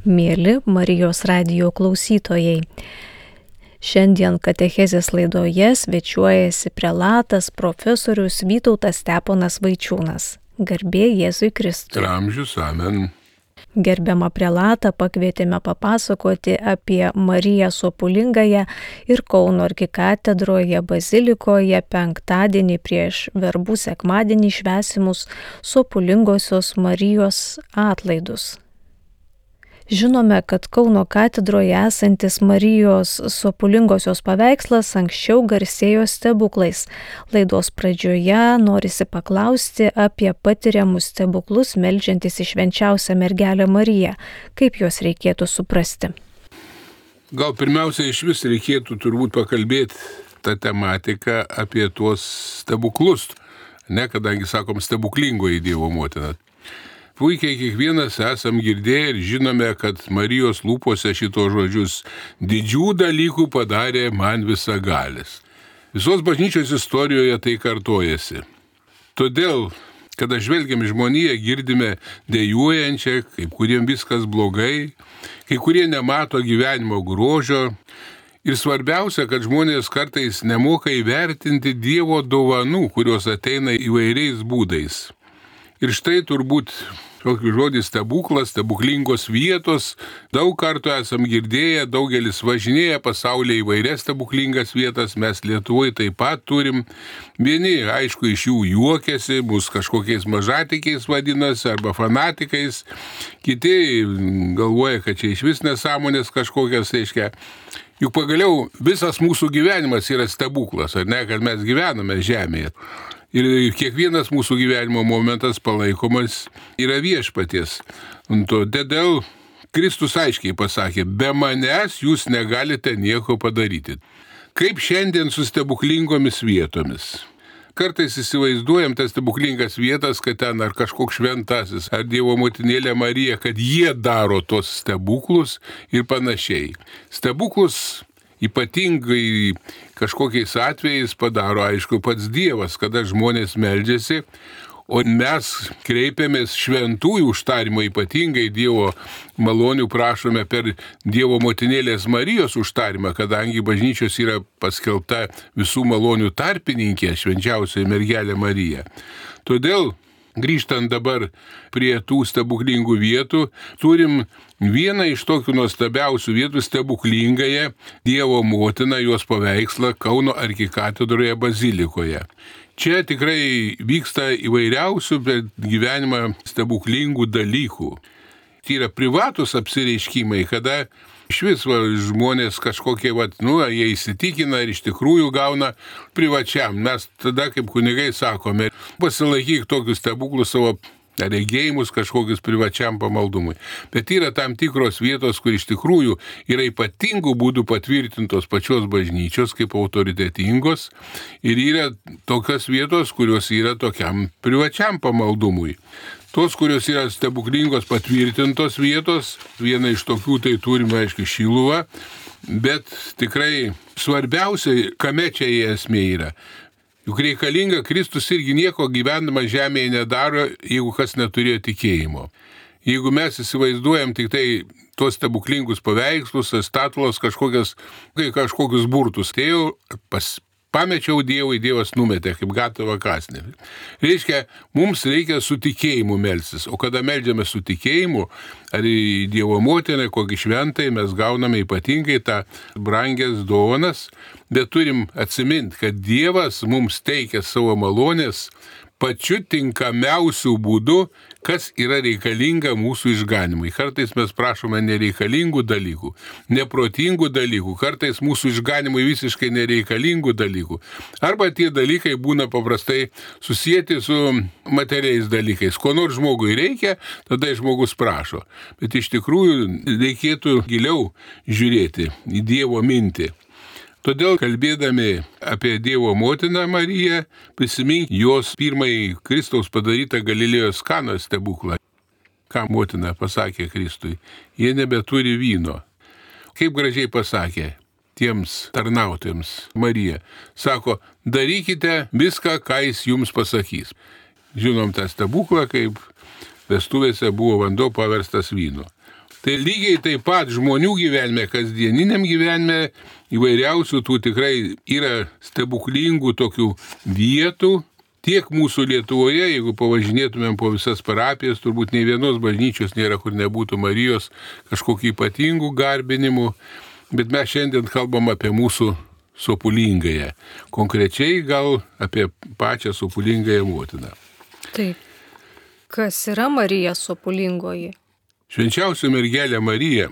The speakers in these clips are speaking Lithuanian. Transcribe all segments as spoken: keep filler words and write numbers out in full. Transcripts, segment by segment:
Mėly Marijos radijo klausytojai, šiandien katechezės laidoje svečiuojasi prelatas profesorius Vytautas Steponas Vaičiūnas. Garbė Jėzui Kristui. Ir amžius, amen. Gerbiamą prelatą pakvietėme papasakoti apie Mariją Sopulingąją ir Kauno arkikatedroje bazilikoje penktadienį prieš verbų sekmadienį švęsimus Sopulingosios Marijos atlaidus. Žinome, kad Kauno katedroje esantis Marijos Sopulingosios paveikslas anksčiau garsėjo stebuklais. Laidos pradžioje norisi paklausti apie patiriamus stebuklus meldžiantis į švenčiausią mergelę Mariją. Kaip juos reikėtų suprasti? Gal pirmiausia iš vis reikėtų turbūt pakalbėti tą tematiką apie tuos stebuklus, ne, kadangi sakom stebuklingoji Dievo motina. Puikiai kiekvienas esam girdėję ir žinome, kad Marijos lūpose šito žodžius didžių dalykų padarė man visagalis. Visos bažnyčios istorijoje tai kartojasi. Todėl, kada žvelgiam į žmoniją, girdime dejuojančią, kaip kuriem viskas blogai, kai kurie nemato gyvenimo grožio. Ir svarbiausia, kad žmonės kartais nemoka įvertinti Dievo dovanų, kurios ateina įvairiais būdais. Ir štai turbūt tokį žodį stebuklas, stebuklingos vietos, daug kartų esam girdėję, daugelis važinėja pasaulyje įvairias stebuklingas vietas, mes Lietuvoje taip pat turim. Vieni, aišku, iš jų juokiasi, mus kažkokiais mažatikiais vadinasi arba fanatikais, kiti galvoja, kad čia iš vis nesąmonės kažkokias, reiškia. Juk pagaliau visas mūsų gyvenimas yra stebuklas, ar ne, kad mes gyvename žemėje. Ir kiekvienas mūsų gyvenimo momentas palaikomas yra viešpaties. Todėl Kristus aiškiai pasakė, be manęs jūs negalite nieko padaryti. Kaip šiandien su stebuklingomis vietomis. Kartais įsivaizduojam tas stebuklingas vietas, kad ten ar kažkoks šventasis, ar Dievo motinėlė Marija, kad jie daro tos stebuklus ir panašiai. Stebuklus ypatingai kažkokiais atvejais padaro, aišku, pats Dievas, kada žmonės meldžiasi, o mes kreipiamės šventųjų užtarimo, ypatingai Dievo malonių prašome per Dievo motinėlės Marijos užtarimą, kadangi bažnyčios yra paskelbta visų malonių tarpininkė, švenčiausioji mergelė Marija. Todėl, grįžtant dabar prie tų stebuklingų vietų, turim vieną iš tokių nuostabiausių vietų stebuklingąją Dievo motiną, jos paveikslą Kauno arkikatedroje bazilikoje. Čia tikrai vyksta įvairiausių per gyvenimą stebuklingų dalykų. Tai yra privatus apsireiškimai, kada iš vis va, žmonės kažkokie, va, nu, jie įsitikina ir iš tikrųjų gauna privačiam. Mes tada, kaip kunigai sakome, pasilaikyk tokius stebuklus savo regėjimus kažkokius privačiam pamaldumui. Bet yra tam tikros vietos, kur iš tikrųjų yra ypatingų būdų patvirtintos pačios bažnyčios kaip autoritetingos ir yra tokios vietos, kurios yra tokiam privačiam pamaldumui. Tos, kurios yra stebuklingos patvirtintos vietos, viena iš tokių tai turime, aišku, Šiluvą, bet tikrai svarbiausia, kame čia esmė yra. Juk reikalinga, Kristus irgi nieko gyvendama žemėje nedaro, jeigu kas neturėjo tikėjimo. Jeigu mes įsivaizduojam tik tai tuos stebuklingus paveikslus, statulos, kažkokias, kažkokius burtus, tai jau pas, pamečiau Dievui, Dievas numetė, kaip gatavą kąsnį. Reiškia, mums reikia su tikėjimu melstis, o kada meldžiame su tikėjimu, ar į Dievo motiną, kokį šventai, mes gauname ypatingai tą brangias dovanas, bet turim atsiminti, kad Dievas mums teikia savo malonės pačiu tinkamiausiu būdu, kas yra reikalinga mūsų išganimui. Kartais mes prašome nereikalingų dalykų, neprotingų dalykų, kartais mūsų išganimui visiškai nereikalingų dalykų. Arba tie dalykai būna paprastai susijęti su materiais dalykais. Ko nors žmogui reikia, tada žmogus prašo. Bet iš tikrųjų reikėtų giliau žiūrėti į Dievo mintį. Todėl, kalbėdami apie Dievo motiną Mariją, prisimink jos pirmąjį Kristaus padarytą Galilėjos Kanos stebuklą. Ką motina pasakė Kristui? Jie nebeturi vyno. Kaip gražiai pasakė tiems tarnautojams Marija. Sako, darykite viską, ką jis jums pasakys. Žinom tą stebuklą, kaip vestuvėse buvo vanduo paverstas vynu. Tai lygiai taip pat žmonių gyvenime, kasdieniniam gyvenime įvairiausių tų tikrai yra stebuklingų tokių vietų. Tiek mūsų Lietuvoje, jeigu pavažinėtumėm po visas parapijas, turbūt nei vienos bažnyčios nėra, kur nebūtų Marijos kažkokių ypatingų garbinimų. Bet mes šiandien kalbam apie mūsų Sopulingąją. Konkrečiai gal apie pačią Sopulingąją motiną. Taip. Kas yra Marija Sopulingoji? Švenčiausia mergelė Marija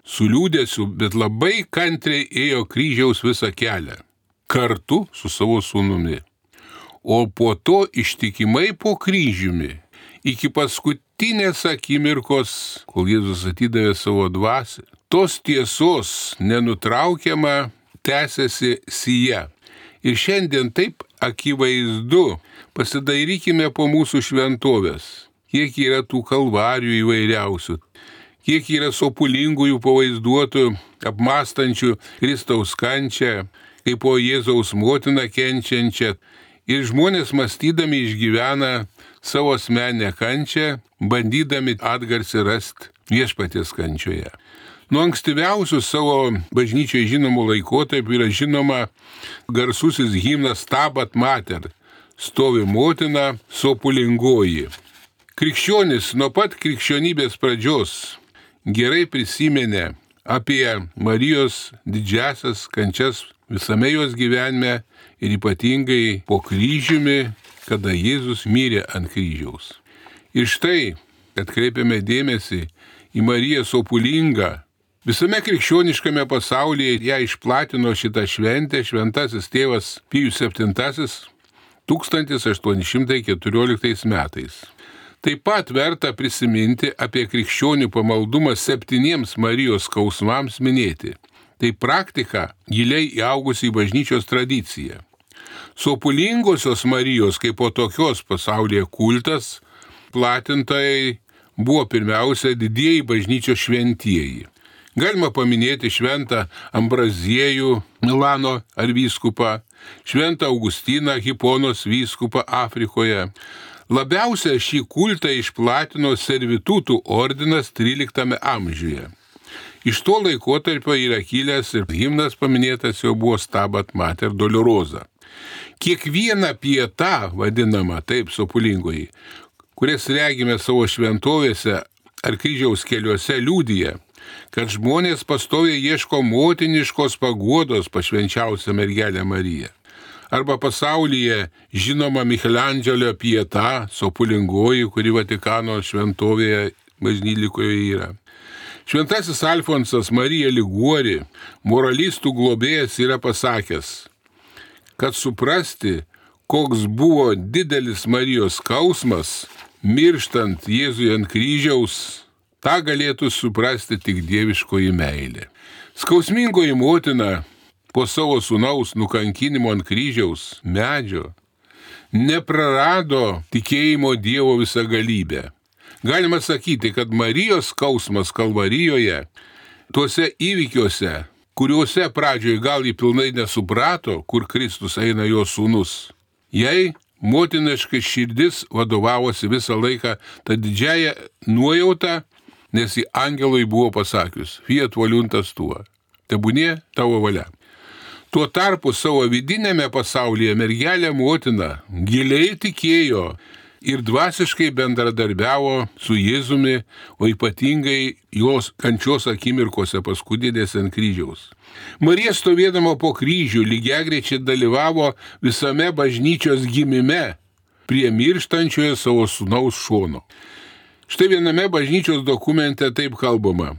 su liūdėsiu, bet labai kantriai ėjo kryžiaus visą kelią, kartu su savo sūnumi. O po to ištikimai po kryžiumi, iki paskutinės akimirkos, kol Jėzus atidavė savo dvasią, tos tiesos nenutraukiama tęsiasi sija. Ir šiandien taip akivaizdu, pasidairykime po mūsų šventovės, kiek yra tų kalvarijų įvairiausių, kiek yra sopulingųjų pavaizduotų, apmąstančių Kristaus kančią, kaip po Jėzaus motiną kenčiančią. Ir žmonės mąstydami išgyvena savo asmeninę kančią, bandydami atgarsį rasti viešpaties kančioje. Nuo ankstyviausių savo bažnyčioje žinomų laikotarpių yra žinoma garsusis himnas Stabat Mater, stovi motina Sopulingoji. Krikščionis nuo pat krikščionybės pradžios gerai prisiminė apie Marijos didžiasias kančias visame jos gyvenime ir ypatingai po kryžiumi, kada Jėzus mirė ant kryžiaus. Ir štai atkreipiame dėmesį į Mariją Sopulingą. Visame krikščioniškame pasaulyje ją išplatino šitą šventę šventasis tėvas Pijus septintasis tūkstantis aštuoni šimtai keturioliktais metais. Taip pat verta prisiminti apie krikščionių pamaldumą septyniems Marijos skausmams minėti. Tai praktika giliai įaugusi į bažnyčios tradiciją. Sopulingosios Marijos kaip po tokios pasaulyje kultas platintojai buvo pirmiausia didieji bažnyčios šventieji. Galima paminėti šventą Ambraziejų Milano arvyskupą, šventą Augustiną Hiponos vyskupą Afrikoje. Labiausia šį kultą išplatino servitutų ordinas tryliktame amžiuje. Iš to laikotarpio yra kilęs ir himnas paminėtas jau buvo Stabat Mater Dolorosa. Kiekviena pieta, vadinama taip Sopulingoji, kurias regime savo šventovėse ar kryžiaus keliuose, liudija, kad žmonės pastoviai ieško motiniškos paguodos pas švenčiausią mergelę Mariją. Arba pasaulyje žinoma Michelandželio pieta Sopulingoji, kuri Vatikano šventovėje bažnylikoje yra. Šventasis Alfonsas Marija Liguori, moralistų globėjas, yra pasakęs, kad suprasti, koks buvo didelis Marijos skausmas, mirštant Jėzui ant kryžiaus, tą galėtų suprasti tik dieviškoji meilė. Skausmingoji motina po savo sūnaus nukankinimo ant kryžiaus medžio neprarado tikėjimo Dievo visagalybę. Galima sakyti, kad Marijos skausmas Kalvarijoje, tuose įvykiuose, kuriuose pradžioje gal jį pilnai nesuprato, kur Kristus eina jo sūnus, jai motiniškai širdis vadovavosi visą laiką tą didžiąją nuojautą, nes į angelui buvo pasakius, fiat voluntas tua, tebūnie tavo valia. Tuo tarpu savo vidinėme pasaulyje mergelė motina giliai tikėjo ir dvasiškai bendradarbiavo su Jėzumi, o ypatingai jos kančios akimirkose paskudinėse ant kryžiaus. Marija stovėdama po kryžių lygiagrečiai dalyvavo visame bažnyčios gimime prie mirštančioje savo sūnaus šono. Štai viename bažnyčios dokumente taip kalbama.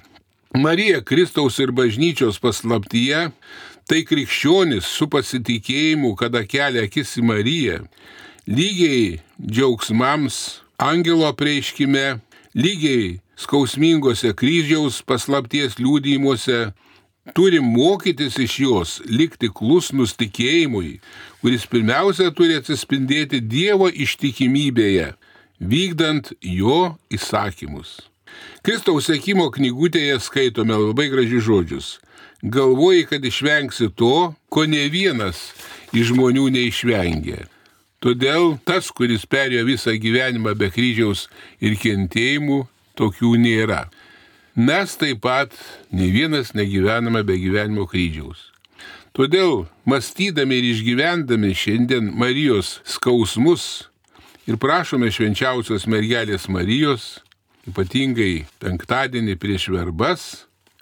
Marija Kristaus ir bažnyčios paslaptyje, tai krikščionis su pasitikėjimu, kada kelia akis į Mariją, lygiai džiaugsmams angelo apreiškime, lygiai skausmingose kryžiaus paslapties liudijimuose, turi mokytis iš jos, likti klusnus tikėjimui, kuris pirmiausia turi atsispindėti Dievo ištikimybėje, vykdant jo įsakymus. Kristaus sekimo knygutėje skaitome labai gražius žodžius. Galvoji, kad išvengsi to, ko ne vienas iš žmonių neišvengė. Todėl tas, kuris perėjo visą gyvenimą be kryžiaus ir kentėjimų, tokių nėra. Mes taip pat nei vienas negyvename be gyvenimo kryžiaus. Todėl, mąstydami ir išgyvendami šiandien Marijos skausmus ir prašome švenčiausios mergelės Marijos, ypatingai penktadienį prieš verbas,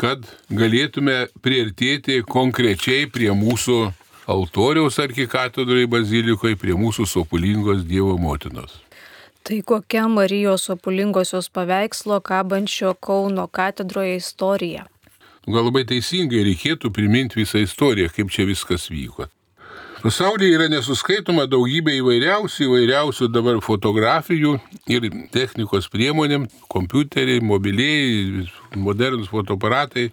kad galėtume priartėti konkrečiai prie mūsų altoriaus arkikatedroje bazilikoje, prie mūsų sopulingos Dievo motinos. Tai kokia Marijos sopulingosios paveikslo kabančio Kauno katedroje istorija? Gal labai teisingai reikėtų priminti visą istoriją, kaip čia viskas vyko. Pasaulyje yra nesuskaitoma daugybė įvairiausių, įvairiausių dabar fotografijų ir technikos priemonėm, kompiuteriai, mobiliai, modernus fotoaparatai.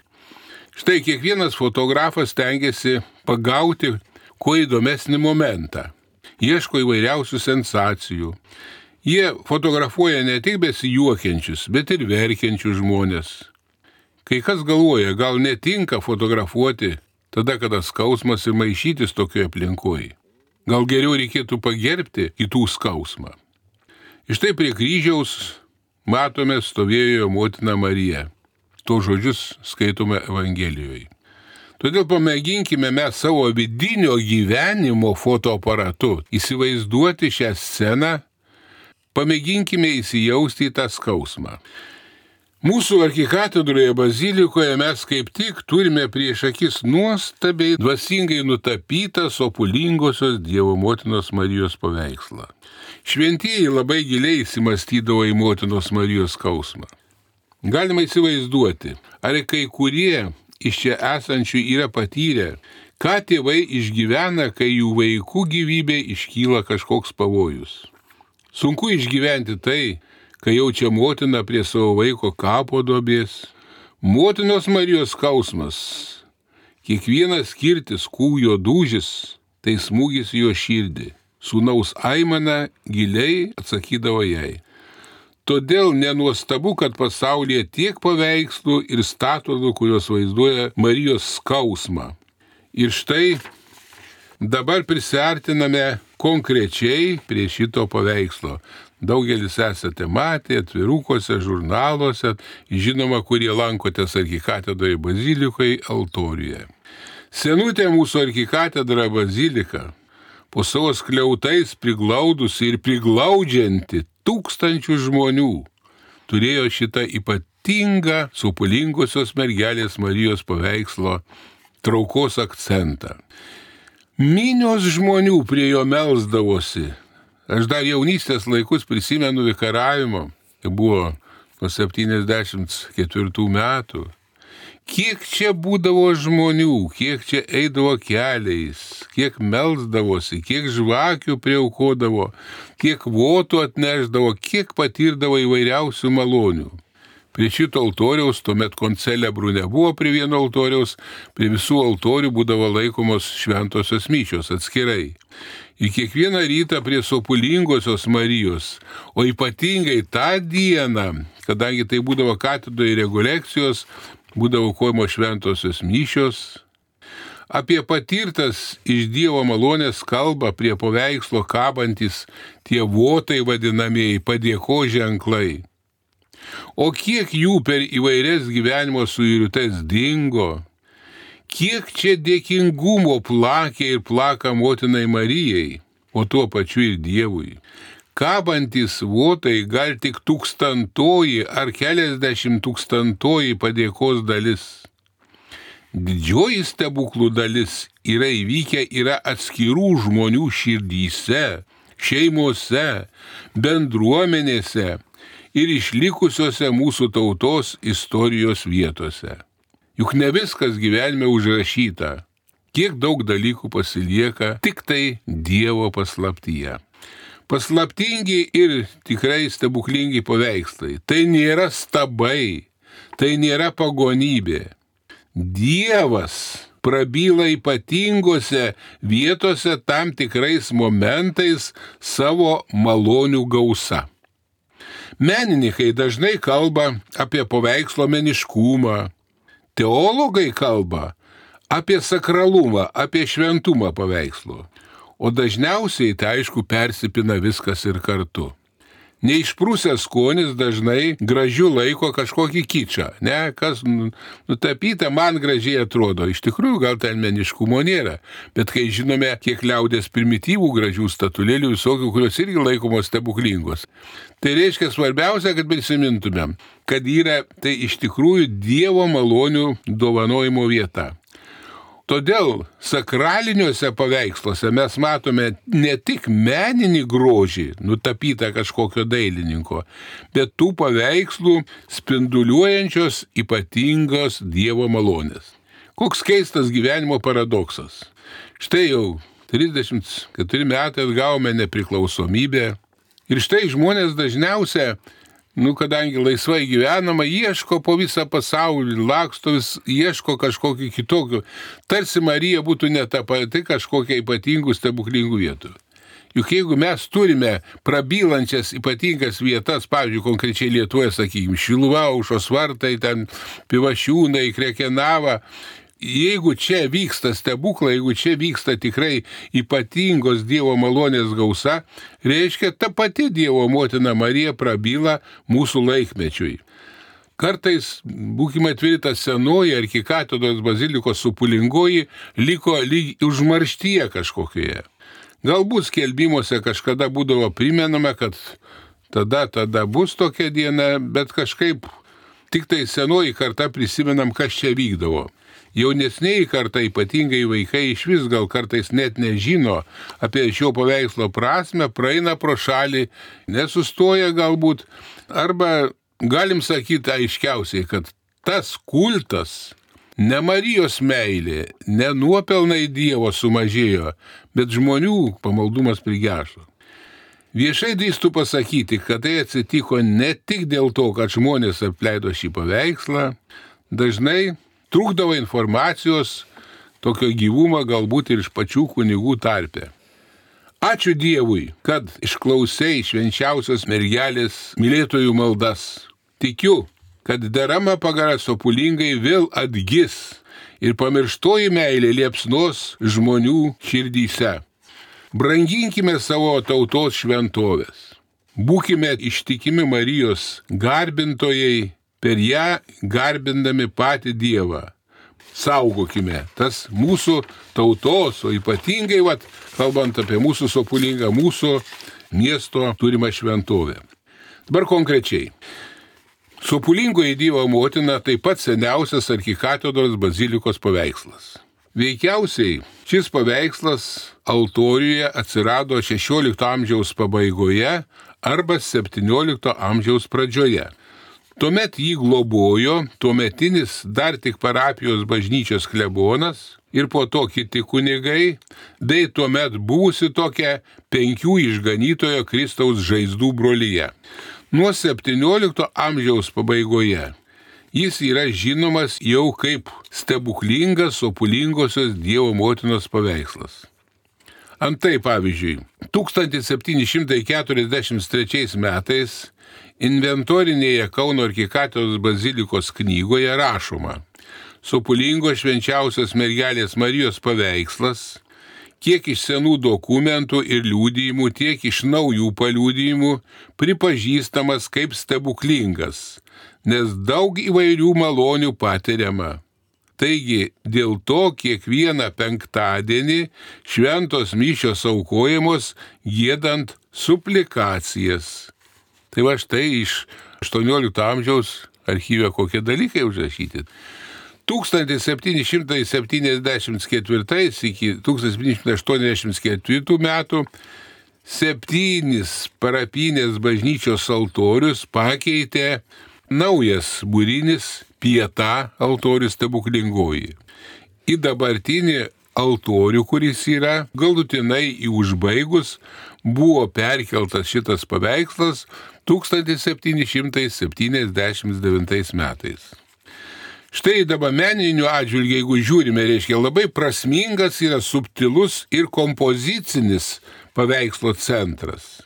Štai kiekvienas fotografas tengiasi pagauti kuo įdomesnį momentą. Ieško įvairiausių sensacijų. Jie fotografuoja ne tik besijuokiančius, bet ir verkiančius žmonės. Kai kas galvoja, gal netinka fotografuoti tada, kada skausmas ir maišytis tokioje aplinkoje. Gal geriau reikėtų pagerbti kitų skausmą. Iš tai prie kryžiaus matome stovėjo motina Marija. To žodžius skaitome Evangelijoje. Todėl pamėginkime mes savo vidinio gyvenimo fotoaparatu įsivaizduoti šią sceną, pamėginkime įsijausti į tą skausmą. Mūsų arkikatedroje bazilikoje mes kaip tik turime prieš akis nuostabiai dvasingai nutapytą sopulingosios Dievo motinos Marijos paveikslą. Šventieji labai giliai įsimastydavo į motinos Marijos skausmą. Galima įsivaizduoti, ar kai kurie iš čia esančių yra patyrę, ką tėvai išgyvena, kai jų vaikų gyvybė iškyla kažkoks pavojus. Sunku išgyventi tai, kai jaučia motina prie savo vaiko kapo duobės. Motinos Marijos skausmas, kiekvienas kirtis kūjo dūžis, tai smūgis jo širdį. Sūnaus aimana giliai atsakydavo jai. Todėl nenuostabu, kad pasaulyje tiek paveikslų ir statulų, kurios vaizduoja Marijos skausmą. Ir štai dabar prisiartiname konkrečiai prie šito paveikslo. Daugelis esate matę atvirukuose, žurnaluose, žinoma, kurie lankotės arkikatedroje bazilikoje altoriuje. Senutė mūsų arkikatedra bazilika, po savo skliautais priglaudusi ir priglaudžianti tūkstančių žmonių, turėjo šitą ypatingą sopulingosios mergelės Marijos paveikslo traukos akcentą. Minios žmonių prie jo melsdavosi. Aš dar jaunystės laikus prisimenu vikaravimo, tai buvo nuo septyniasdešimt ketvirtų metų. Kiek čia būdavo žmonių, kiek čia eidavo keliais, kiek melsdavosi, kiek žvakių priaukodavo, kiek votų atneždavo, kiek patirdavo įvairiausių malonių. Prie šito altoriaus, tuomet koncelebrų nebuvo prie vieno altoriaus, prie visų altorių būdavo laikomos šventosios mišios atskirai. Ir kiekvieną rytą prie sopulingosios Marijos, o ypatingai tą dieną, kadangi tai būdavo katedroje rekolekcijos, būdavo aukojamos šventosios mišios, apie patirtas iš Dievo malonės kalba prie paveikslo kabantis tie votai vadinamieji padėkos ženklai. O kiek jų per įvairias gyvenimo suirutes dingo, kiek čia dėkingumo plakė ir plaka motinai Marijai, o tuo pačiu ir Dievui. Kabantis votai gal tik tūkstantoji ar keliasdešimt tūkstantoji padėkos dalis. Didžioji stebuklų dalis yra įvykę yra atskirų žmonių širdyse, šeimose, bendruomenėse ir išlikusiose mūsų tautos istorijos vietose. Juk ne viskas gyvenime užrašyta. Kiek daug dalykų pasilieka tik tai Dievo paslaptyje. Paslaptingi ir tikrai stebuklingi paveikslai. Tai nėra stabai, tai nėra pagonybė. Dievas prabyla ypatingose vietose tam tikrais momentais savo malonių gausa. Menininkai dažnai kalba apie paveikslo meniškumą. Teologai kalba apie sakralumą, apie šventumą paveikslo. O dažniausiai tai aišku persipina viskas ir kartu. Neišprūsęs skonis dažnai gražiu laiko kažkokį kičą, ne, kas nutapyta man gražiai atrodo, iš tikrųjų gal ten meniškumo nėra, bet kai žinome, kiek liaudės primityvų gražių statulėlių visokių, kurios irgi laikomos stebuklingos. Tai reiškia svarbiausia, kad prisimintumėm, kad yra tai iš tikrųjų Dievo malonių dovanojimo vieta. Todėl sakraliniuose paveiksluose mes matome ne tik meninį grožį, nutapytą kažkokio dailininko, bet tų paveikslų spinduliuojančios ypatingos Dievo malonės. Koks keistas gyvenimo paradoksas. Štai jau trisdešimt keturi metai atgavome nepriklausomybę ir štai žmonės dažniausia, nu, kadangi laisvai gyvenama, ieško po visą pasaulį, laksto vis, ieško kažkokių kitokių. Tarsi Marija būtų ne ta pati kažkokia ypatingų stebuklingų vietų. Juk jeigu mes turime prabylančias ypatingas vietas, pavyzdžiui, konkrečiai Lietuvoje, sakykime, Šiluva, Aušros vartai, ten Pivašiūnai, Krekenava, jeigu čia vyksta stebuklai, jeigu čia vyksta tikrai ypatingos Dievo malonės gausa, reiškia, ta pati Dievo motina Marija prabyla mūsų laikmečiui. Kartais, būkime atviri, ta senoji arkikatedros bazilikos supulingoji liko lyg užmarštyje kažkokioje. Galbūt skelbimuose kažkada būdavo primenama, kad tada, tada bus tokia diena, bet kažkaip tik tai senoji karta prisimenam, kas čia vykdavo. Jaunesniai karta, ypatingai vaikai, iš vis gal kartais net nežino apie šio paveikslo prasme, praeina pro šalį, nesustoja galbūt, arba galim sakyti aiškiausiai, kad tas kultas, ne Marijos meilė, ne nuopelnai Dievo sumažėjo, bet žmonių pamaldumas prigežo. Viešai drįstu pasakyti, kad tai atsitiko ne tik dėl to, kad žmonės apleido šį paveikslą, dažnai trūkdavo informacijos, tokio gyvumo galbūt ir iš pačių kunigų tarpe. Ačiū Dievui, kad išklausei švenčiausios mergelės mylėtojų maldas. Tikiu, kad derama pagara sopulingai vėl atgis ir pamirštoji meilė liepsnos žmonių širdyse. Branginkime savo tautos šventovės. Būkime ištikimi Marijos garbintojai, per ją garbindami patį Dievą. Saugokime tas mūsų tautos, o ypatingai, vat, kalbant apie mūsų sopulingą, mūsų miesto turimą šventovę. Dabar konkrečiai. Sopulingoji Dievo motina taip pat seniausias arkikatedros bazilikos paveikslas. Veikiausiai šis paveikslas altoriuje atsirado šešiolikto amžiaus pabaigoje arba septyniolikto amžiaus pradžioje. Tuomet jį globojo tuometinis dar tik parapijos bažnyčios klebonas ir po to kiti kunigai, bei tuomet buvusi tokia penkių išganytojo Kristaus žaizdų brolyje. Nuo septyniolikto amžiaus pabaigoje jis yra žinomas jau kaip stebuklingas sopulingosios Dievo motinos paveikslas. Antai, pavyzdžiui, tūkstantis septyni šimtai keturiasdešimt trečiais metais inventorinėje Kauno arkikatedros bazilikos knygoje rašoma: sopulingo švenčiausios mergelės Marijos paveikslas, kiek iš senų dokumentų ir liudijimų, tiek iš naujų paliudijimų pripažįstamas kaip stebuklingas, nes daug įvairių malonių patiriama. Taigi, dėl to kiekvieną penktadienį šventos mišios aukojamos giedant suplikacijas. Tai va štai iš aštuoniolikto amžiaus archyve kokie dalykai užrašyti. tūkstantis septyni šimtai septyniasdešimt ketvirtais iki tūkstantis septyni šimtai aštuoniasdešimt ketvirtų metų septynis parapinės bažnyčios altorius pakeitė naujas būrinis Pieta altorius stebuklingoji. Į dabartinį altorių, kuris yra galutinai į užbaigus, buvo perkeltas šitas paveikslas tūkstantis septyni šimtai septyniasdešimt devintais metais. Štai dabar meninių atžvilgių, jeigu žiūrime, reiškia labai prasmingas yra subtilus ir kompozicinis paveikslo centras.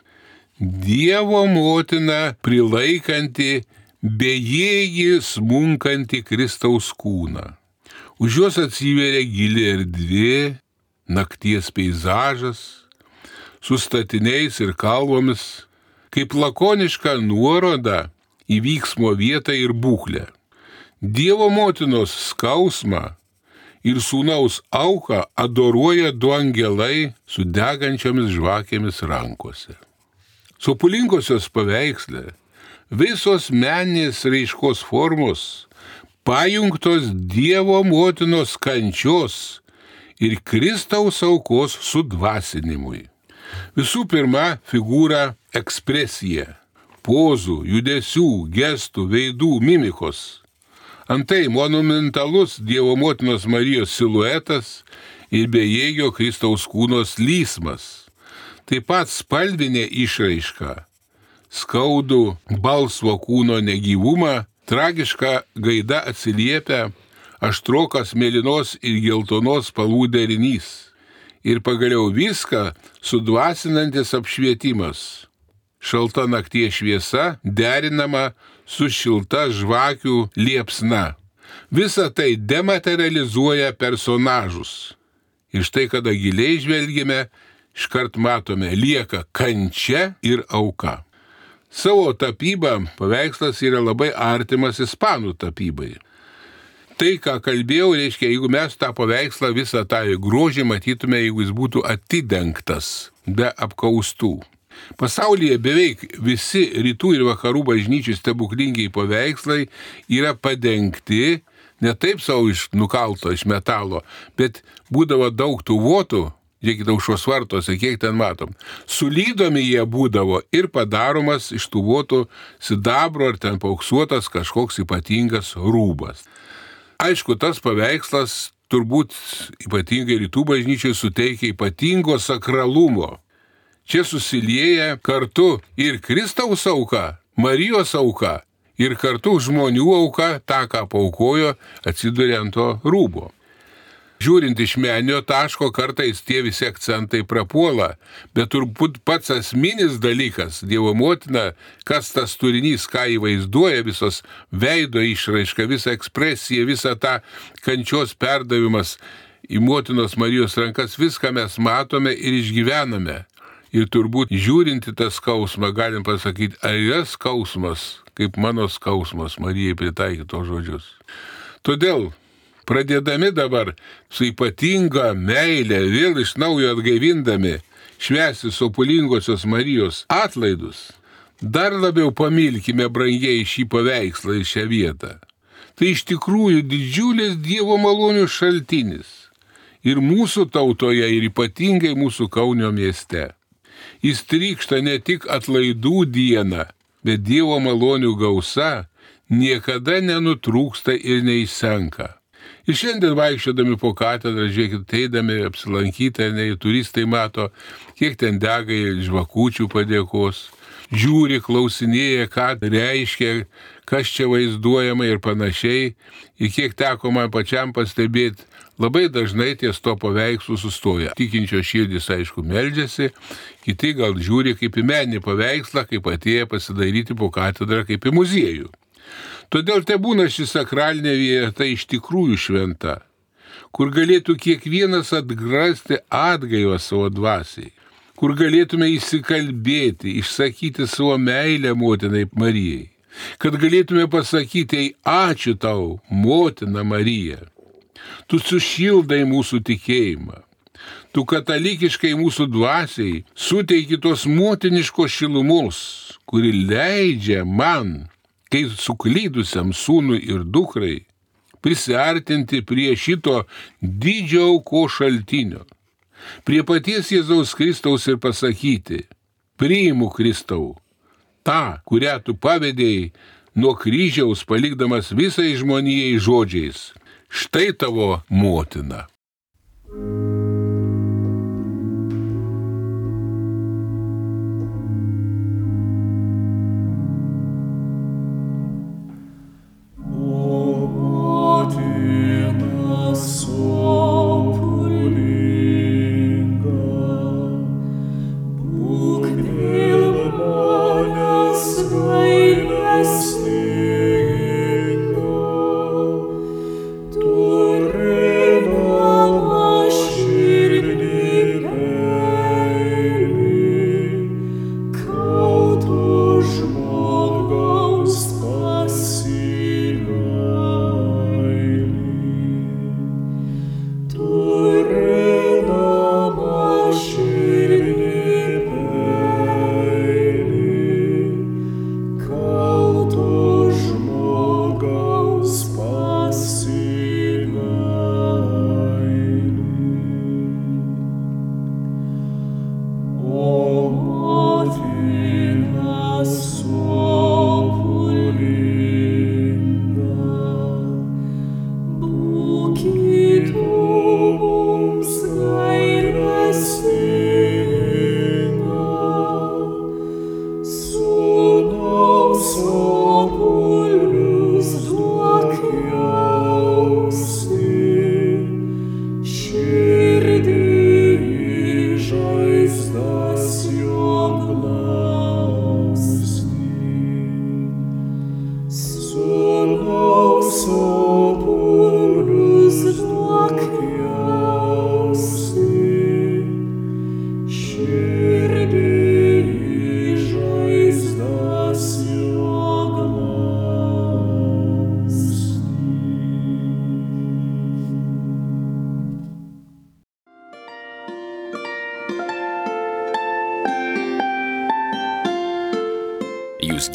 Dievo motina prilaikanti bejėgį smunkantį Kristaus kūną. Už jos atsiveria gili erdvė, nakties peizažas, su statiniais ir kalvomis, kaip lakoniška nuoroda į vyksmo vietą ir būklę. Dievo motinos skausmą ir sūnaus auką adoruoja du angelai su degančiomis žvakėmis rankose. Sopulingosios paveiksle visos meninės raiškos formos pajungtos Dievo motinos kančios ir Kristaus aukos sudvasinimui. Visų pirma, figūra ekspresija, pozų, judesių, gestų, veidų, mimikos. Antai monumentalus Dievo motinos Marijos siluetas ir bejėgio Kristaus kūno slysmas. Taip pat spalvinė išraiška, skaudų balsvo kūno negyvumą, tragiška gaida atsiliepia aštrokas mėlynos ir geltonos spalvų derinys. Ir pagaliau viską sudvasinantis apšvietimas. Šalta nakties šviesa derinama su šilta žvakių liepsna. Visa tai dematerializuoja personažus. Ir štai, kada giliai žvelgime, iškart matome, lieka kančia ir auka. Savo tapybą paveikslas yra labai artimas ispanų tapybai. Tai, ką kalbėjau, reiškia, jeigu mes tą paveikslą, visą tą grožį matytume, jeigu jis būtų atidengtas, be apkaustų. Pasaulyje beveik visi rytų ir vakarų bažnyčių stebuklingiai paveikslai yra padengti, ne taip savo iš nukalto, iš metalo, bet būdavo daug tų votų, žiūrėkite, aušros vartose, kiek ten matom. Sulydomi jie būdavo ir padaromas iš tų votų sidabro ar ten paauksuotas kažkoks ypatingas rūbas. Aišku, tas paveikslas turbūt ypatingai rytų bažnyčiai suteikia ypatingo sakralumo. Čia susilieja kartu ir Kristaus auka, Marijos auka, ir kartu žmonių auka, tą, ką paaukojo, atsiduria ant to rūbo. Žiūrint iš meninio taško, kartais tie visi akcentai prapuola, bet turbūt pats esminis dalykas, Dievo motina, kas tas turinys, ką įvaizduoja, visos veido išraiška, visa ekspresija, visa ta kančios perdavimas į motinos Marijos rankas, viską mes matome ir išgyvename. Ir turbūt žiūrinti tą skausmą, galim pasakyti, ar yra skausmas, kaip mano skausmas, Marijai pritaikyto žodžius. Todėl, pradėdami dabar su ypatinga meilė, vėl iš naujo atgaivindami, švęsti sopulingosios Marijos atlaidus, dar labiau pamilkime brangiai šį paveikslą ir šią vietą. Tai iš tikrųjų didžiulis Dievo malonių šaltinis ir mūsų tautoje, ir ypatingai mūsų Kaunio mieste. Jis trykšta ne tik atlaidų dieną, bet Dievo malonių gausa niekada nenutrūksta ir neišsenka. Ir šiandien vaikščiodami po katedrą, žiūrėkit, teidami apsilankyti, ne, turistai mato, kiek ten dega žvakučių padėkos, žiūri, klausinėja, ką reiškia, kas čia vaizduojama ir panašiai. Ir kiek teko man pačiam pastebėti, labai dažnai ties to paveikslų sustoja. Tikinčio širdis, aišku, meldžiasi, kiti gal žiūri kaip į meninį paveikslą, kaip atėję pasidaryti po katedrą, kaip į muziejų. Todėl te būna ši sakralinė vieta iš tikrųjų šventa, kur galėtų kiekvienas atgrasti atgaivą savo dvasiai, kur galėtume įsikalbėti, išsakyti savo meilę motinai Marijai, kad galėtume pasakyti, ačiū tau, motina Marija, tu sušildai mūsų tikėjimą, tu katalikiškai mūsų dvasiai suteiki tos motiniškos šilumos, kuri leidžia man, kai suklydusiam sūnui ir dukrai, prisiartinti prie šito didžio aukos šaltinio, prie paties Jėzaus Kristaus ir pasakyti, priimu Kristau, tą, kurią tu pavedėjai nuo kryžiaus palikdamas visai žmonijai žodžiais, štai tavo motina. Turina mašina.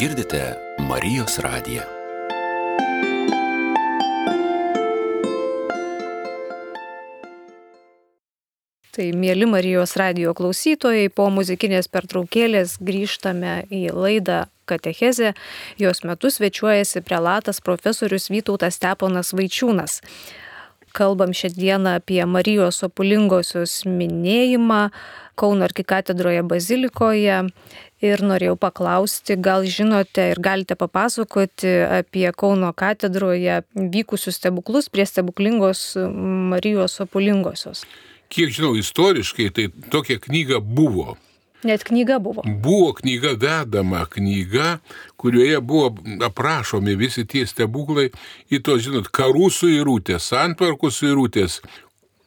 girdite Marijos radiją. Tai mieli Marijos radijo klausytojai, po muzikinės pertraukėlės grįžtame į laidą Katechezė. Jos metu svečiuojasi prelatas profesorius Vytautas Steponas Vaičiūnas. Kalbam šiandieną apie Marijos Sopulingosios minėjimą Kauno arkikatedroje bazilikoje ir norėjau paklausti, gal žinote ir galite papasakoti apie Kauno katedroje vykusius stebuklus prie stebuklingos Marijos Sopulingosios. Kiek žinau, istoriškai, tai tokia knyga buvo. Net knyga buvo. Buvo knyga vedama knyga, kurioje buvo aprašomi visi tie stebuklai į tos, žinot, karų suirutės, santvarkų suirutės.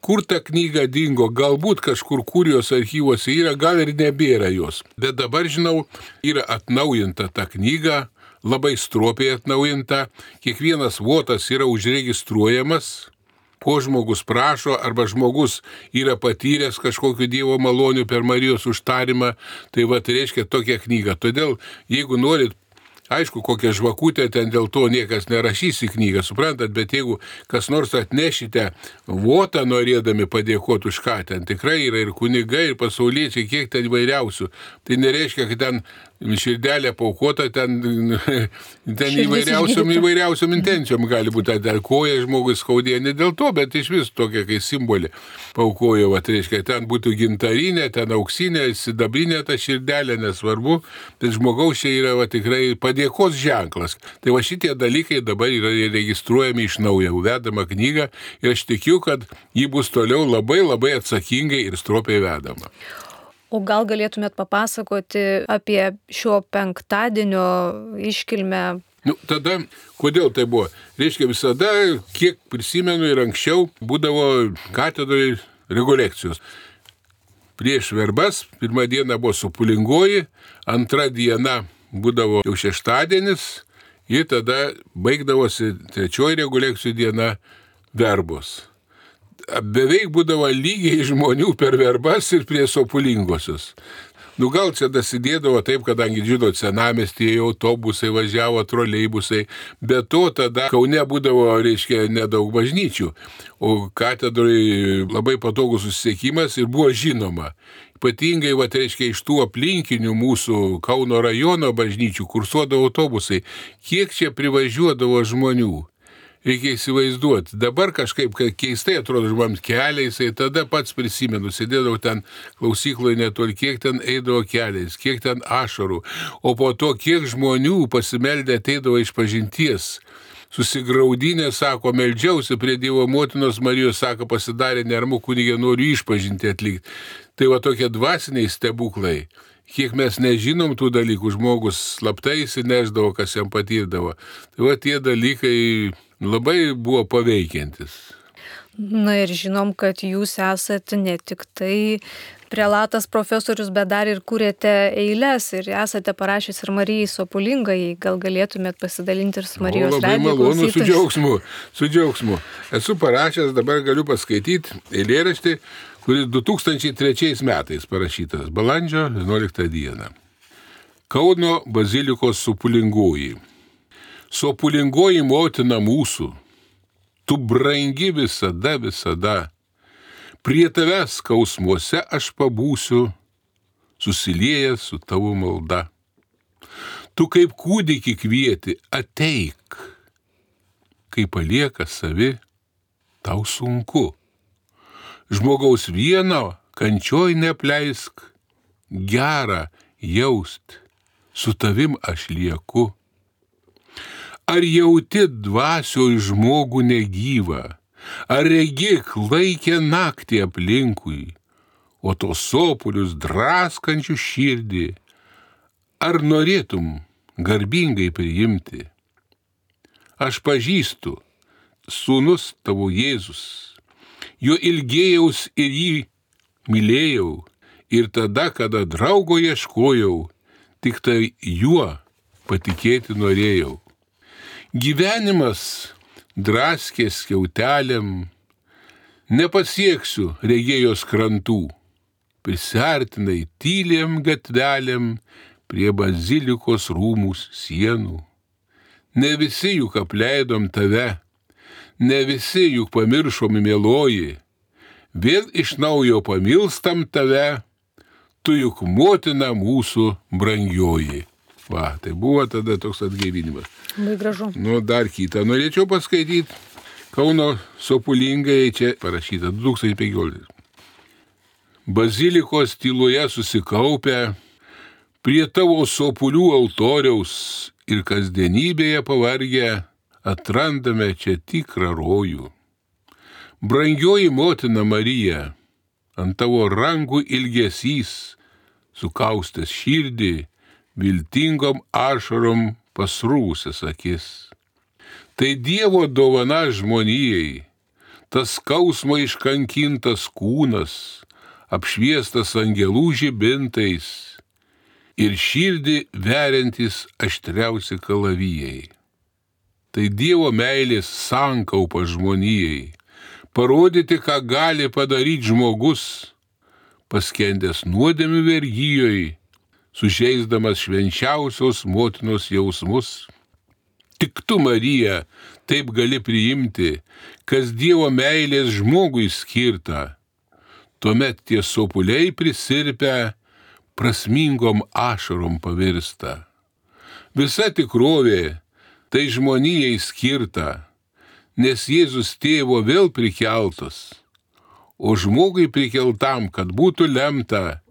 Kur ta knyga dingo, galbūt kažkur kurijos archyvose yra, gal ir nebėra jos. Bet dabar, žinau, yra atnaujinta ta knyga, labai stropiai atnaujinta. Kiekvienas votas yra užregistruojamas, ko žmogus prašo, arba žmogus yra patyręs kažkokiu Dievo maloniu per Marijos užtarimą, tai va, tai reiškia tokia knyga. Todėl, jeigu norit, aišku, kokią žvakutę ten dėl to niekas nerašys į knygą, suprantat, bet jeigu kas nors atnešite votą norėdami padėkoti už ką, ten tikrai yra ir kunigai, ir pasauliečiai, kiek ten įvairiausių. Tai nereiškia, kad ten širdelė paukota, ten, ten įvairiausiom, įvairiausiom intencijom gali būti, ten koja žmogus skaudėjo, ne dėl to, bet iš vis tokia kaip simbolė paukojo, va, tai reiškia, ten būtų gintarinė, ten auksinė, sidabrinė ta širdelė, nesvarbu, bet žmogaus čia yra va, tikrai padėkos ženklas. Tai va šitie dalykai dabar yra registruojami iš naujo, vedama knyga ir aš tikiu, kad ji bus toliau labai labai atsakingai ir stropiai vedama. O gal galėtumėt papasakoti apie šio penktadienio iškilmę? Nu, tada, kodėl tai buvo? Reiškia, visada, kiek prisimenu ir anksčiau, būdavo katedroje rekolekcijos. Prieš verbas, pirmą dieną buvo Sopulingoji, antra diena būdavo jau šeštadienis ir tada baigdavosi trečioji rekolekcijų diena verbos. Beveik būdavo lygiai žmonių per verbas ir prie Sopulingosios. Nu gal čia dasidėdavo taip, kadangi, žinot, senamiestyje autobusai važiavo, troleibusai, bet to tada Kaune būdavo, reiškia, nedaug bažnyčių, o katedroje labai patogus susisiekimas ir buvo žinoma. Ypatingai, va, reiškia, iš tų aplinkinių mūsų Kauno rajono bažnyčių kursuodavo autobusai. Kiek čia privažiuodavo žmonių? Reikia įsivaizduoti. Dabar kažkaip keistai atrodo žmonėms keliais, tada pats prisimenu, sėdėdavau ten klausykloje netoli, kiek ten eidavo keliais, kiek ten ašarų, o po to kiek žmonių pasimeldė ateidavo iš pažinties. Susigraudinė, sako, meldžiausi prie Dievo motinos Marijos, sako, pasidarė neramu, kunigė, noriu išpažinti atlikti. Tai va tokie dvasiniai stebuklai. Kiek mes nežinom tų dalykų, žmogus slaptai įsineždavo, kas jam patirdavo. Tai va tie dalykai labai buvo paveikiantis. Na ir žinom, kad jūs esate ne tik tai prelatas profesorius, bet dar ir kūrėte eiles ir esate parašęs ir Marijai Sopulingai. Gal galėtumėt pasidalinti ir su Marijos radijo klausytojais? Labai malonu, su džiaugsmu, su džiaugsmu. Esu parašęs, dabar galiu paskaityti eilėraštį, kuris du tūkstančiai trečiais metais parašytas, balandžio vienuoliktą dieną. Kauno bazilikos Sopulingoji. Sopulingoji motina mūsų, tu brangi visada, visada. Prie tavęs skausmuose aš pabūsiu, susiliejęs su tavo malda. Tu kaip kūdikį kvieti, ateik. Kai palieka savi, tau sunku. Žmogaus vieno kančioj neapleisk, gera jaust, su tavim aš lieku. Ar jauti dvasioj žmogų negyvą, ar regi klaikę naktį aplinkui, o tos sopulius draskančių širdį, ar norėtum garbingai priimti? Aš pažįstu, sūnus tavo Jėzus, jo ilgėjaus ir jį mylėjau, ir tada, kada draugo ieškojau, tik tai juo patikėti norėjau. Gyvenimas draskė skiautelėm, nepasieksiu regėjos krantų, prisartinai tylėm gatvelėm, prie bazilikos rūmų sienų. Ne visi juk apleidom tave, ne visi juk pamiršom mieloji, vėl iš naujo pamilstam tave, tu juk motina mūsų brangioji. Va, tai buvo tada toks atgaivinimas. Labai gražu. Nu, dar kitą norėčiau paskaityti. Kauno Sopulingai čia parašyta du tūkstančiai penkioliktais. Bazilikos tyloje susikaupę, prie tavo sopulių altoriaus ir kasdienybėje pavargę, atrandame čia tikrą rojų. Brangioji motina Marija, ant tavo rankų ilgesys, sukaustęs širdį, viltingom ašarom pasrūsęs akis. Tai Dievo dovana žmonijai, tas skausmo iškankintas kūnas, apšviestas angelų žibintais ir širdį veriantis aštriausi kalavijai. Tai Dievo meilės sankaupa žmonijai, parodyti, ką gali padaryti žmogus, paskendęs nuodėmių vergyjoj, sužeisdamas švenčiausios motinos jausmus. Tik tu, Marija, taip gali priimti, kas Dievo meilės žmogui skirta. Tuomet tie sopuliai prisirpę, prasmingom ašarom pavirsta. Visa tikrovė tai žmonijai skirta, nes Jėzus tėvo vėl prikeltas, o žmogui prikeltam, kad būtų lemta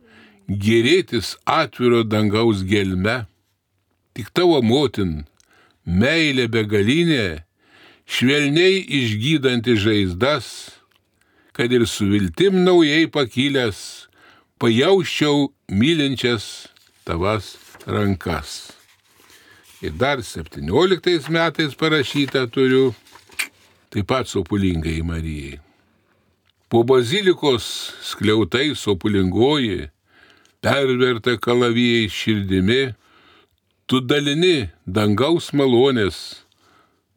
gėrėtis atviro dangaus gelme. Tik tavo motin, meilė begalinė, švelniai išgydanti žaizdas, kad ir su viltim naujai pakilęs, pajausčiau mylinčias tavas rankas. Ir dar septynioliktais metais parašytą turiu, taip pat Sopulingai Marijai. Po bazilikos skliautai sopulingoji, perverta kalavijai širdimi, tu dalini dangaus malonės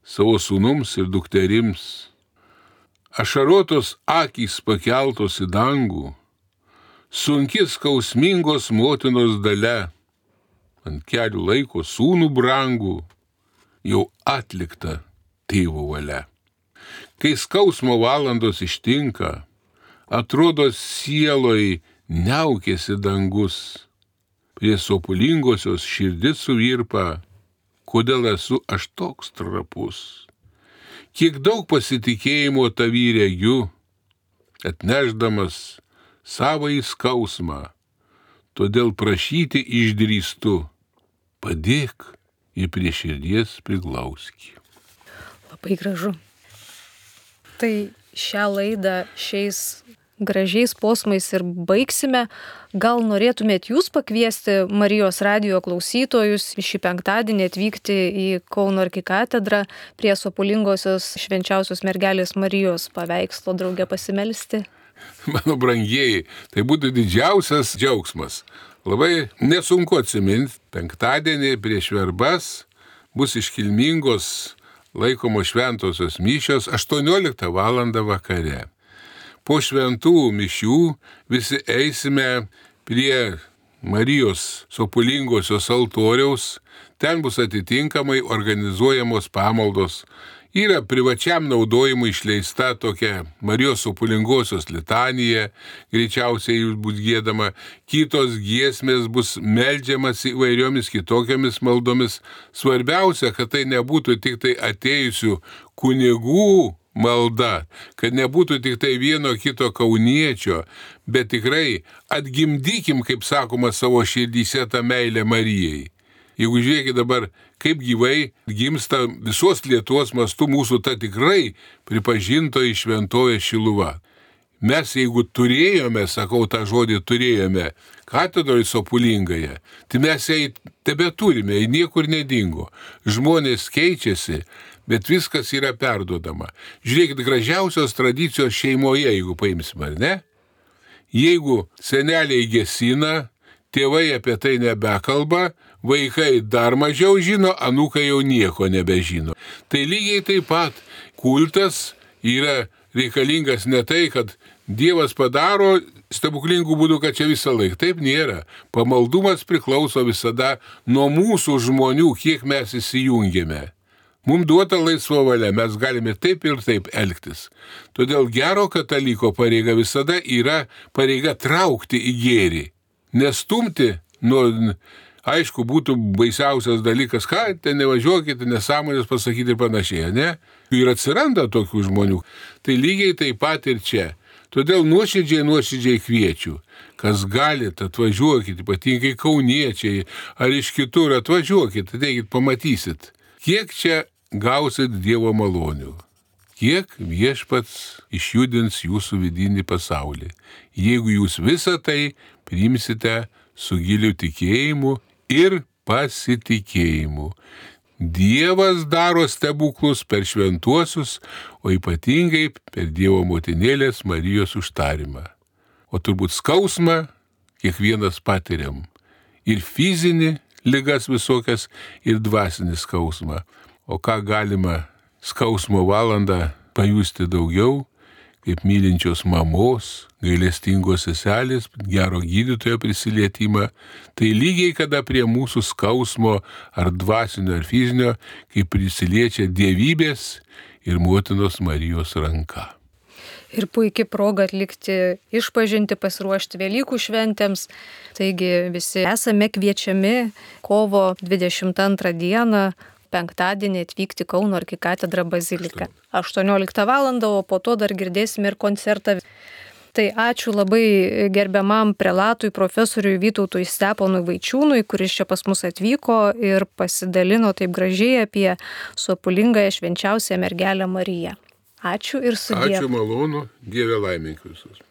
savo sūnums ir dukterims. Ašarotos akys pakeltos į dangų, sunki skausmingos motinos dalia, ant kelių laiko sūnų brangų, jau atlikta tėvo valia. Kai skausmo valandos ištinka, atrodo sieloj niaukėsi dangus, prie sopulingosios širdis suvirpa, kodėl esu aš toks trapus. Kiek daug pasitikėjimo tavy regiu, atnešdamas savąjį skausmą, todėl prašyti išdrįstu, padėk ir prie širdies priglauski. Labai gražu. Tai šią laidą šiais gražiais posmais ir baigsime. Gal norėtumėt jūs pakviesti Marijos radijo klausytojus šį penktadienį atvykti į Kauno arkikatedrą prie Sopulingosios švenčiausios mergelės Marijos paveikslo drauge pasimelsti? Mano brangieji, tai būtų didžiausias džiaugsmas. Labai nesunku atsiminti, penktadienį prieš verbas bus iškilmingos laikomos šventosios mišios aštuonioliktą valandą vakare. Po šventų mišių visi eisime prie Marijos Sopulingosios altoriaus, ten bus atitinkamai organizuojamos pamaldos. Yra privačiam naudojimui išleista tokia Marijos Sopulingosios litanija, greičiausiai jūs bus giedama, kitos giesmės bus meldžiamas įvairiomis kitokiamis maldomis. Svarbiausia, kad tai nebūtų tik tai atėjusių kunigų malda, kad nebūtų tik tai vieno kito kauniečio, bet tikrai atgimdykim, kaip sakoma, savo širdyse tą meilę Marijai. Jeigu žiūrėkit dabar, kaip gyvai gimsta visos Lietuvos mastu mūsų ta tikrai pripažintoji šventovė Šiluva. Mes jeigu turėjome, sakau tą žodį turėjome, katedroje Sopulingoje, tai mes jai tebe turime, jai niekur nedingo. Žmonės keičiasi, bet viskas yra perduodama. Žiūrėkit, gražiausios tradicijos šeimoje, jeigu paimsim, ar ne? Jeigu seneliai gesina, tėvai apie tai nebekalba, vaikai dar mažiau žino, anūkai jau nieko nebežino. Tai lygiai taip pat kultas yra reikalingas ne tai, kad Dievas padaro stebuklingų būdų, kad čia visą laiką. Taip nėra. Pamaldumas priklauso visada nuo mūsų žmonių, kiek mes įsijungiame. Mums duota laisva valia, mes galime taip ir taip elgtis. Todėl gero kataliko pareiga visada yra pareiga traukti į gėrį. Nestumti, nu, aišku, būtų baisiausias dalykas, ką, ten nevažiuokite, nesąmonės pasakyti ir panašiai, ne? Ir atsiranda tokių žmonių. Tai lygiai taip pat ir čia. Todėl nuoširdžiai, nuoširdžiai kviečiu, kas galite, atvažiuokit, ypatingai kauniečiai ar iš kitur, atvažiuokit, ateikit, pamatysit, kiek čia gausit Dievo malonių, kiek Viešpats išjudins jūsų vidinį pasaulį, jeigu jūs visą tai priimsite su giliu tikėjimu ir pasitikėjimu. Dievas daro stebuklus per šventuosius, o ypatingai per Dievo motinėlės Marijos užtarimą. O turbūt skausmą kiekvienas patiriam. Ir fizinį ligas visokias, ir dvasinį skausmą. O ką galima skausmo valandą pajusti daugiau, kaip mylinčios mamos, gailestingos seselės, gero gydytojo prisilietimą, tai lygiai kada prie mūsų skausmo ar dvasinio ar fizinio, kaip prisiliečia dievybės ir motinos Marijos ranka. Ir puikiai proga atlikti išpažinti, pasiruošti Velykų šventėms. Taigi visi esame kviečiami kovo dvidešimt antrą dieną, penktadienį atvykti Kauno arkikatedrą baziliką. aštuonioliktą valandą, o po to dar girdėsime ir koncertą. Tai ačiū labai gerbiamam prelatui profesoriui Vytautui Steponui Vaičiūnui, kuris čia pas mus atvyko ir pasidalino taip gražiai apie sopulingąją švenčiausią mergelę Mariją. Ačiū ir sudie. Ačiū malonu, Dieve laimink visus.